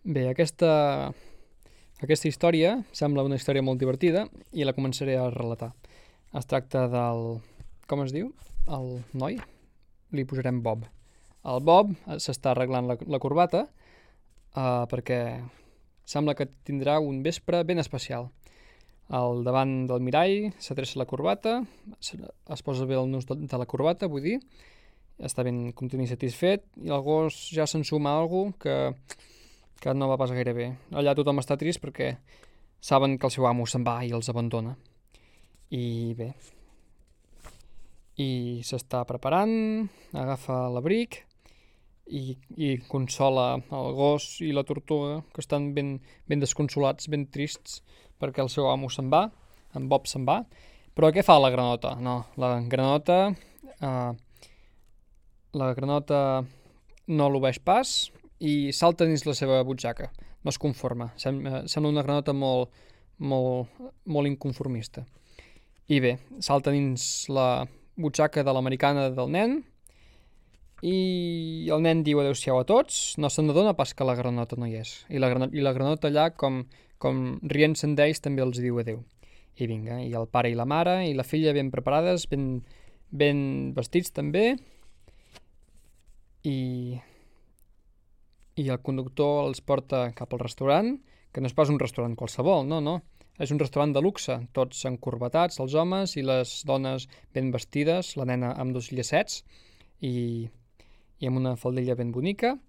Bé, aquesta història sembla una història molt divertida i la començaré a relatar. Es tracta del... com es diu? El noi? Li posarem Bob. El Bob s'està arreglant la corbata perquè sembla que tindrà un vespre ben especial. Al davant del mirall s'adreça la corbata, es posa bé el nus de la corbata, vull dir, està ben content i satisfet, i el gos ja s'ensuma a alguna que no va pas gaire bé. Allà tothom està trist perquè saben que el seu amo se'n va i els abandona. I bé, i s'està preparant, agafa l'abric i consola el gos i la tortuga, que estan ben desconsolats, ben trists, perquè el seu amo se'n va, en Bob se'n va. Però què fa la granota? No, la granota no l'obeeix pas i salta dins la seva butxaca. No es conforma. Sembla una granota molt inconformista. I bé, salta dins la butxaca de l'americana del nen i el nen diu adeu-siau a tots, no se'n adona pas que la granota no hi és. I la granota allà, com rient-se'n d'ells, també els diu adeu. I vinga, i el pare i la mare i la filla ben preparades, ben vestits també, i el conductor els porta cap al restaurant, que no és pas un restaurant qualsevol, no. És un restaurant de luxe, tots encorbatats, els homes i les dones ben vestides, la nena amb dos llacets i amb una faldilla ben bonica,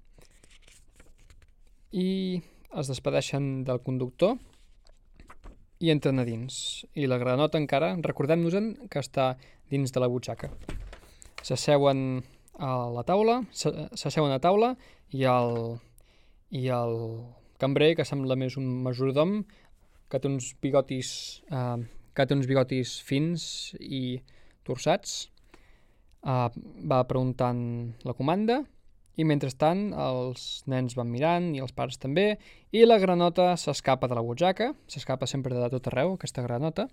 i es despedeixen del conductor i entren a dins. I la granota encara, recordem-nos-en que està dins de la butxaca. S'asseuen a taula i el cambrer, que sembla més un majordom, que té uns bigotis fins i torçats, va preguntant la comanda, i mentrestant els nens van mirant i els pares també, i la granota s'escapa de la butxaca, s'escapa sempre de tot arreu, aquesta granota,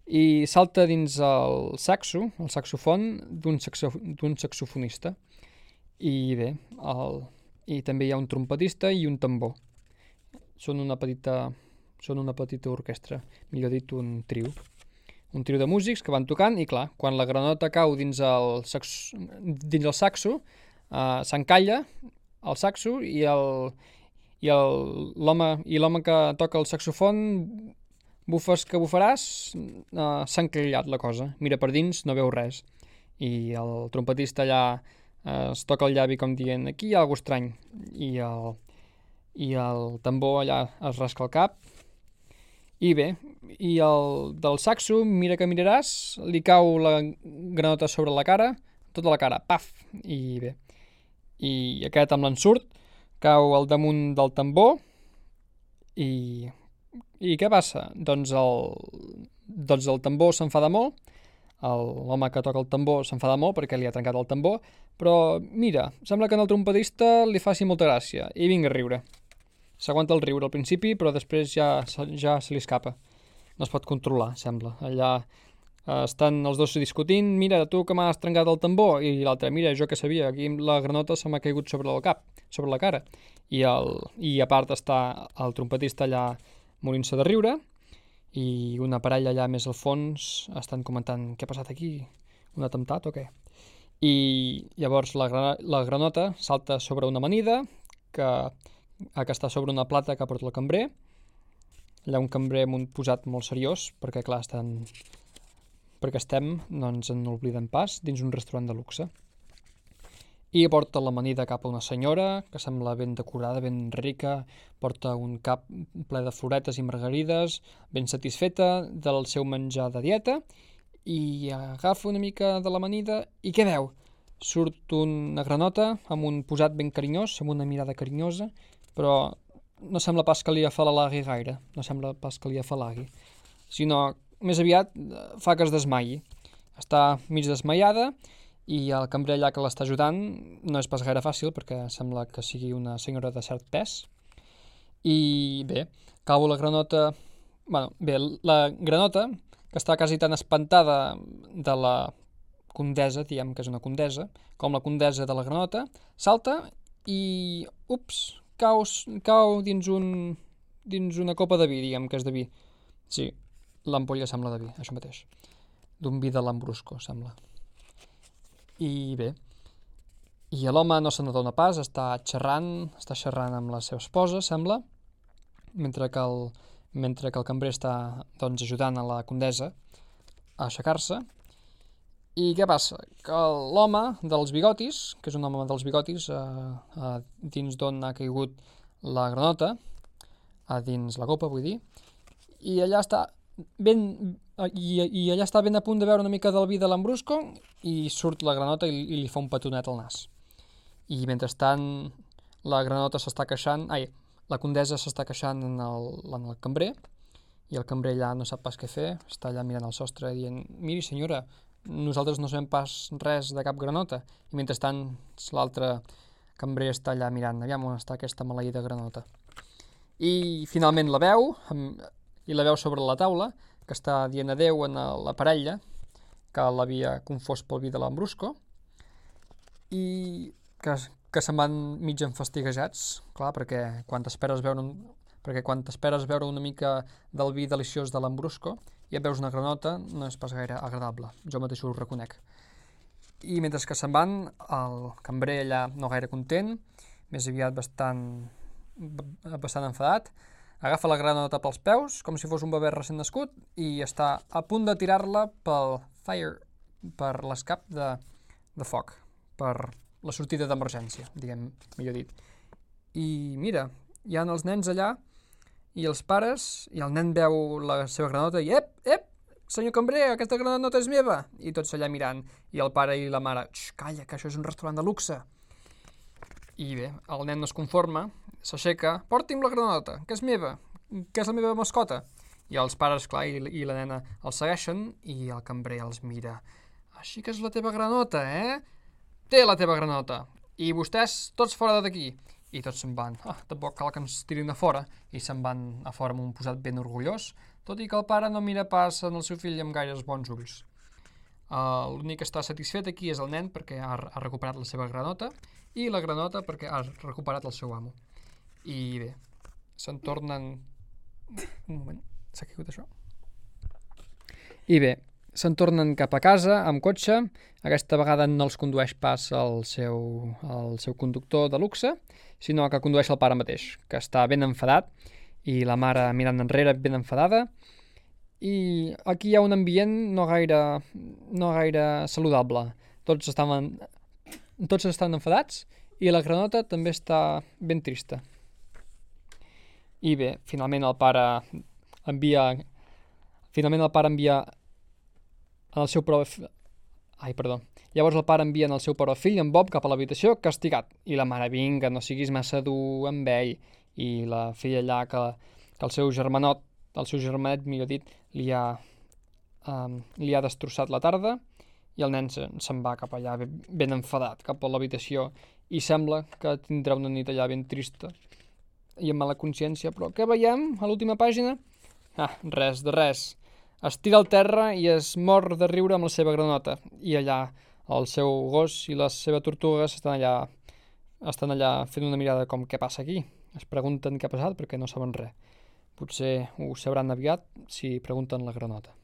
i salta dins el saxofon d'un saxofonista. I bé, i també hi ha un trompetista i un tambor. Són una petita orquestra, millor dit, un trio de músics que van tocant, i clar, quan la granota cau dins el saxo, s'encalla el saxo i l'home que toca el saxofon, bufes que bufaràs, s'ha encallat la cosa, mira per dins, no veu res, i el trompetista allà es toca el llavi com dient aquí hi ha alguna estrany, i el tambor allà es rasca el cap, i bé, i el del saxo, mira que miraràs, li cau la granota sobre la cara, tota la cara, paf, i bé, i aquest amb l'ensurt cau al damunt del tambor, i què passa? Doncs el tambor s'enfada molt, l'home que toca el tambor s'enfada molt perquè li ha trencat el tambor, però mira, sembla que al trompetista li faci molta gràcia, i vinga a riure. S'aguanta el riure al principi, però després ja se li escapa. No es pot controlar, sembla. Allà estan els dos discutint, mira, tu que m'has trencat el tambor, i l'altre, mira, jo que sabia, aquí la granota se m'ha caigut sobre el cap, sobre la cara. I a part està el trompetista allà morint-se de riure, i una parella allà més al fons estan comentant què ha passat aquí, un atemptat o què? I llavors la granota salta sobre una amanida que està sobre una plata que porta el cambrer. Allà un cambrer amb un posat molt seriós, perquè clar, no ens en oblidem pas, dins un restaurant de luxe. I porta l'amanida cap a una senyora, que sembla ben decorada, ben rica, porta un cap ple de floretes i margarides, ben satisfeta del seu menjar de dieta, i agafa una mica de l'amanida, i què veu? Surt una granota amb un posat ben carinyós, amb una mirada carinyosa, però no sembla pas que li afalagui gaire, sinó més aviat fa que es desmaiï. Està mig desmaiada i el cambrer allà que l'està ajudant no és pas gaire fàcil perquè sembla que sigui una senyora de cert pes. I bé, cau la granota... la granota, que està quasi tan espantada de la condessa, diguem que és una condessa, com la condessa de la granota, salta i, ups, cau dins una copa de vi, diguem que és de vi. Sí, l'ampolla sembla de vi, això mateix. D'un vi de Lambrusco, sembla. I bé, i l'home no se n'adona pas, està xerrant amb la seva esposa, sembla, mentre que el cambrer està doncs, ajudant a la condessa a aixecar-se. I què passa? Que l'home dels bigotis, que és un home dels bigotis, dins d'on ha caigut la granota, dins la copa, vull dir, i allà està ben a punt de veure una mica del vi de Lambrusco i surt la granota i li fa un petonet al nas. I mentrestant la granota s'està queixant, la condessa s'està queixant en el cambrer, i el cambrer allà no sap pas què fer, està allà mirant al sostre dient: miri senyora, nosaltres no sabem pas res de cap granota. I mentrestant l'altre cambrer està allà mirant, aviam on està aquesta maleïda granota. I finalment la veu sobre la taula, que està dient adeu a la parella, que l'havia confós pel vi de Lambrusco, i que se'n van mig enfastiguejats, clar, perquè quan t'esperes veure una mica del vi deliciós de Lambrusco i et veus una granota, no és pas gaire agradable, jo mateix ho reconec. I mentre que se'n van, el cambrer allà no gaire content, més aviat bastant enfadat, agafa la granota pels peus, com si fos un bebè recent nascut, i està a punt de tirar-la per l'escap de foc, per la sortida d'emergència, diguem, millor dit. I mira, hi ha els nens allà, i els pares, i el nen veu la seva granota i ep, senyor cambrer, aquesta granota és meva, i tots allà mirant, i el pare i la mare, calla, que això és un restaurant de luxe. I bé, el nen no es conforma, s'aixeca, porti'm la granota, que és meva, que és la meva mascota. I els pares, clar, i la nena els segueixen, i el cambrer els mira. Així que és la teva granota, Té la teva granota. I vostès, tots fora d'aquí. I tots se'n van. Tampoc cal que ens tirin a fora. I se'n van a fora amb un posat ben orgullós, tot i que el pare no mira pas en el seu fill amb gaires bons ulls. L'únic que està satisfet aquí és el nen perquè ha recuperat la seva granota, i la granota perquè ha recuperat el seu amo. I bé, se'n tornen... Un moment, s'ha caigut això? I bé, se'n tornen cap a casa amb cotxe. Aquesta vegada no els condueix pas el seu conductor de luxe, sinó que condueix el pare mateix, que està ben enfadat, i la mare mirant enrere ben enfadada. I aquí hi ha un ambient no gaire saludable. Tots estan enfadats, i la granota també està ben trista. I bé, finalment el pare envia el seu Llavors el pare envia el seu però fill, en Bob, cap a l'habitació, castigat. I la mare, vinga, no siguis massa dur amb ell. I la filla allà que el seu germanet, millor dit, li ha destrossat la tarda, i el nen se'n va cap allà ben enfadat, cap a l'habitació, i sembla que tindrà una nit allà ben trista i amb mala consciència. Però què veiem a l'última pàgina? Res de res. Es tira al terra i es mor de riure amb la seva granota. I allà el seu gos i la seva tortuga estan allà fent una mirada com què passa aquí. Es pregunten què ha passat perquè no saben res. Potser ho sabran aviat si pregunten la granota.